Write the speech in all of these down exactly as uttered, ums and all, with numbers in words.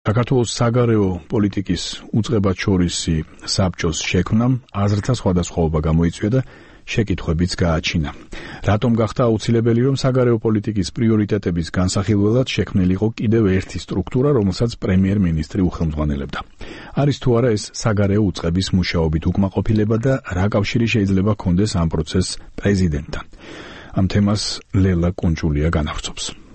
საქართველოს საგარეო პოლიტიკის უწყებაჩორისი საბჭოს შექმნამ აზრთა სხვადასხვაობა გამოიწვია და შეკითხვებიც გააჩინა. რატომ გახდა აუცილებელი, რომ საგარეო პოლიტიკის პრიორიტეტების განსახილველად შექმნილიყო კიდევ ერთი სტრუქტურა, რომელსაც პრემიერ-მინისტრი უხელმძღვანელებდა? არის თუ არა ეს საგარეო უწყების მუშაობით უკმაყოფილება და რა კავშირი შეიძლება ჰქონდეს ამ პროცესს პრეზიდენტთან? ამ თემას ლელა კუნჯულია განავრცობს.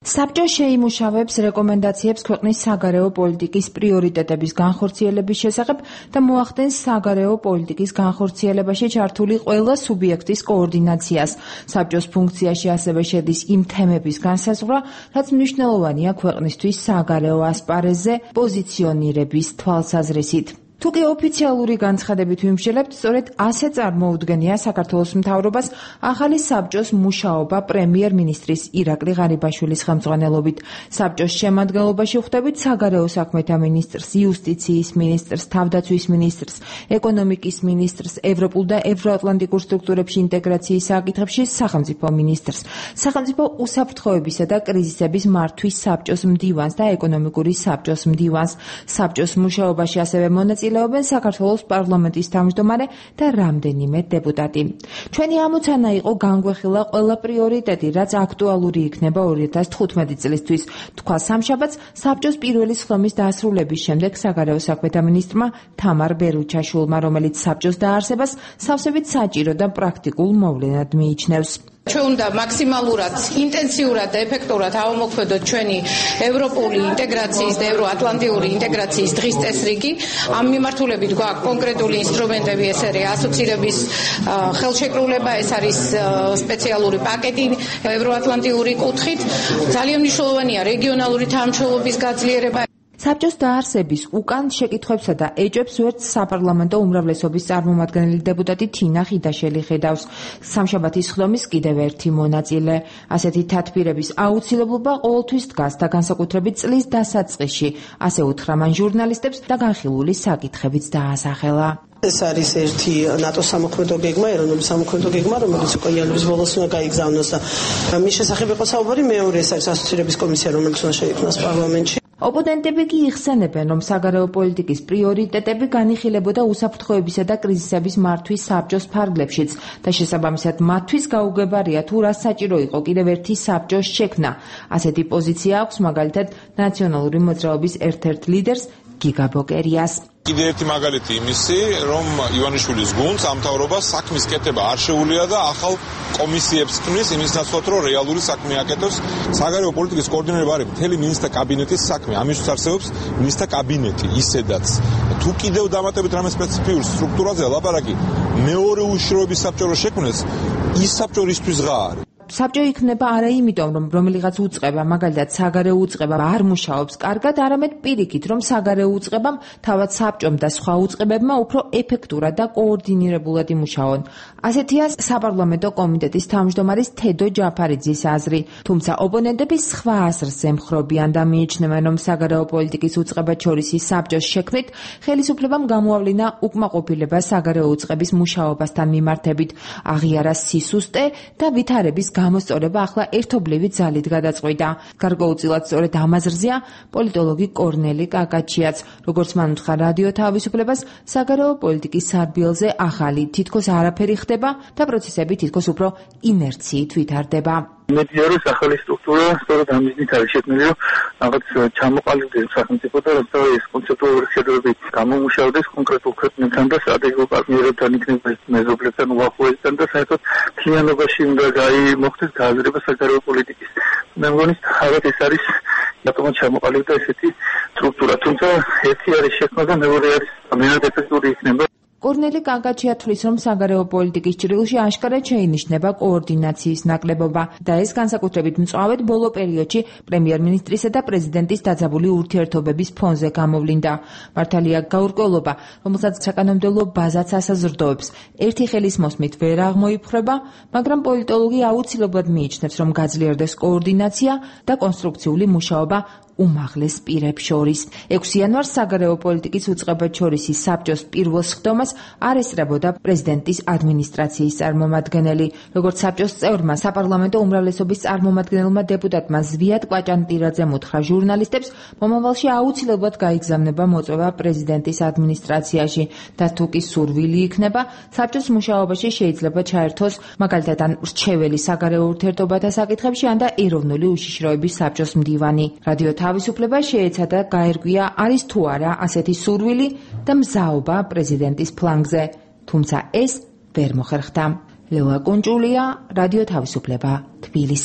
საბჭო შეიმუშავებს რეკომენდაციებს ქვეყნის საგარეო პოლიტიკის პრიორიტეტების განხორციელების შესახებ და მოახდენს საგარეო პოლიტიკის განხორციელებაში ჩართული ყველა სუბიექტის კოორდინაციას. საბჭოს ფუნქციაში ასევე შედის იმ თემების განსაზღვრა, რაც მნიშვნელოვანია ქვეყნისთვის საგარეო ასპარეზზე პოზიციონირების თვალსაზრისით. თუკი ოფიციალური განცხადებით ვიმსჯელებთ, სწორედ ასე წარმოუდგენია საქართველოს მთავრობას ახალი საბჭოს მუშაობა პრემიერ-მინისტრის ირაკლი ღარიბაშვილის ხელმძღვანელობით. საბჭოს შემადგენლობაში ხვდებით საგარეო საქმეთა მინისტრს, იუსტიციის მინისტრს, თავდაცვის მინისტრს, ეკონომიკის მინისტრს, ევროპულ და ევროატლანტიკურ სტრუქტურებში ინტეგრაციის საკითხებში სახელმწიფო მინისტრს, სახელმწიფო უსაფრთხოებისა და კრიზისების მართვის საბჭოს მდივანს და ეკონომიკური საბჭოს მდივანს. საბჭოს მუშაობაში ასევე მონაწილეობენ საქართველოს პარლამენტის თავმჯდომარე და რამდენიმე დეპუტატი. ჩვენი ამოცანა იყო განგვეხილა ყველა პრიორიტეტი, რაც აქტუალური იქნება ორი ათას თხუთმეტი წლისთვის. თქვა სამშაბათს საბჭოს პირველი სხდომის დასრულების შემდეგ საგარეო საქმეთა მინისტრმა თამარ ბერუჩაშვილმა, რომელიც საბჭოს დაარსებას სავსებით საჭირო და პრაქტიკულ მოვლენად მიიჩნევს. ჩვენ უნდა მაქსიმალურად ინტენსიურად და ეფექტურად ავამოქმედოთ ჩვენი ევროპული ინტეგრაციის და ევროატლანტიური ინტეგრაციის დღის წესრიგი. ამ მიმართულებით გვაქვს კონკრეტული ინსტრუმენტები, ეს არის ასოცირების ხელშეკრულება, ეს არის სპეციალური პაკეტი ევროატლანტიური კუთხით. ძალიან მნიშვნელოვანია რეგიონალური თანამშრომლობის გაძლიერება. საბჭოს დაარსების უკან შეკითხვებსა და ეჭვებს ვერც საპარლამენტო უმრავლესობის წარმომადგენელი დეპუტატი თინა ხიდაშელი ხედავს. სამშაბათის სხდომის კიდევ ერთი მონაწილე. ასეთი თათბირების აუცილებლობა ყოველთვის დგას და განსაკუთრებით წლის დასაწყისში, ასე უთხრა მან ჟურნალისტებს და განხილული საკითხებიც დაასახელა. ეს არის ერთი ნატოს სამოქმედო გეგმა, ეროვნული სამოქმედო გეგმა, რომელიც უკვე იანვრის ბოლოს უნდა გაიგზავნოს და მის შესახებ იყო საუბარი. მეორე ეს არის ასოცირების კომისია, რომელიც უნდა შეიქმნას პარლამენტში. ოპონენტები კი იხსენებენ, რომ საგარეო პოლიტიკის პრიორიტეტები განიხილებოდა უსაფრთხოებისა და კრიზისების მართვის საბჭოს ფარგლებშიც და შესაბამისად მათთვის გაუგებარია თუ რა საჭირო იყო კიდევ ერთი საბჭოს შექმნა. ასეთი პოზიცია აქვს მაგალითად ნაციონალური მოძრაობის ერთ-ერთ ლიდერს გიგა ბოკერიას. კიდევ ერთი მაგალითი იმისი, რომ ივანიშვილის გუნდს ამ მთავრობას საქმის კეთება არ შეუძლია და ახალ კომისიებს ქმნის იმის ნაცვლად, რომ რეალური საქმე აკეთოს. საგარეო პოლიტიკის კოორდინირება არის მთელი მინისტრთა კაბინეტის საქმე. ამისთვის არსებობს მინისტრთა კაბინეტი ისედაც. თუ კიდევ დამატებით რამე სპეციფიურ სტრუქტურაზე ლაპარაკი მეორე უშიშროების საბჭო შექმნეს, ის საბჭო რისთვის ღა არის? საბჭო იქნება არა იმიტომ, რომ რომელიღაც უწყება, მაგალითად საგარეო უწყება არ მუშაობს კარგად, არამედ პირიქით, რომ საგარეო უწყებამ თავად საბჭომ და სხვა უწყებებმა უფრო ეფექტურად და კოორდინირებულად იმუშაონ. ასეთია საპარლამენტო კომიტეტის თავმჯდომარის თედო ჯაფარიძის აზრი. თუმცა ოპონენტები სხვა აზრს ემხრობიან და მიიჩნევენ, რომ საგარეო პოლიტიკის უწყებაჩორისი საბჭოს შექმნით ხელისუფლებამ გამოავლინა უკმაყოფილება საგარეო უწყების მუშაობასთან მიმართებით, აღიარა სისუსტე და ვითარების გამოსწორება ახლა ერთობლივი ძალით გადაწყვიტა. გარკვეულწილად სწორედ ამ აზრზეა პოლიტოლოგი კორნელი კაკაჩიაც. როგორც მან უთხრა რადიო თავისუფლებას, საგარეო პოლიტიკის სარბიელზე ახალი თითქოს არაფერი ხდება და პროცესები თითქოს უფრო ინერციით ვითარდება. მედიარის ახალი სტრუქტურა სწორედ ამ მიზნით არის შექმნილი, რომ რაღაც ჩამოყალიბდეს სახელმწიფო და როცა ეს კონცეპტუალური შეჯიბრებები გამომუშავდეს კონკრეტულ ქვეყნებთან და სტრატეგიულ პარტნიორებთან, იქნება მეზობლებთან, უახლოესთან და საერთოდ მთლიანობაში უნდა მოხდეს გააზრება საგარეო პოლიტიკის. მე მგონი, თავად ეს არის რატომაც ჩამოყალიბდა ესეთი სტრუქტურა. თუმცა ერთი არის შექმნა და მეორე არის ამენად ეფექტური იქნება. კორნელი კაკაჩია თვლის, რომ საგარეო პოლიტიკის ჭრილში აშკარად შეინიშნება კოორდინაციის ნაკლებობა და ეს განსაკუთრებით მწვავედ ბოლო პერიოდში პრემიერ-მინისტრისა და პრეზიდენტის დაძაბული ურთიერთობების ფონზე გამოვლინდა. მართალია გაურკვევლობა, რომელსაც საკანონმდებლო ბაზაც ასაზრდოებს, ერთი ხელის მოსმით ვერ აღმოიფხრება, მაგრამ პოლიტოლოგი აუცილებლად მიიჩნევს, რომ გაძლიერდეს კოორდინაცია და კონსტრუქციული მუშაობა უმაღლეს პირებს შორის. ექვსი იანვარს საგარეო პოლიტიკის უწყებაჩორისი საბჭოს პირველ სხდომას არ ესწრებოდა პრეზიდენტის ადმინისტრაციის წარმომადგენელი. როგორც საბჭოს წევრმა საპარლამენტო უმრავლესობის წარმომადგენელმა დეპუტატმა ზვიად კვაჭანტირაძემ უთხრა ჟურნალისტებს, მომავალში აუცილებლად გაიგზავნება მოწვევა პრეზიდენტის ადმინისტრაციაში და თუ კი სურვილი იქნება, საბჭოს მუშაობაში შეიძლება ჩაერთოს მაგალითად ან რჩეველი საგარეო ურთიერთობათა საკითხებში, ან და ეროვნული უშიშროების საბჭოს მდივანი. რადიო თავისუფლება შეეცადა გაერკვია, არის თუ არა ასეთი სურვილი და მზაობა პრეზიდენტის ფლანგზე, თუმცა ეს ვერ მოხერხდა. ლელა კუნჭულია, რადიო თავისუფლება, თბილისი.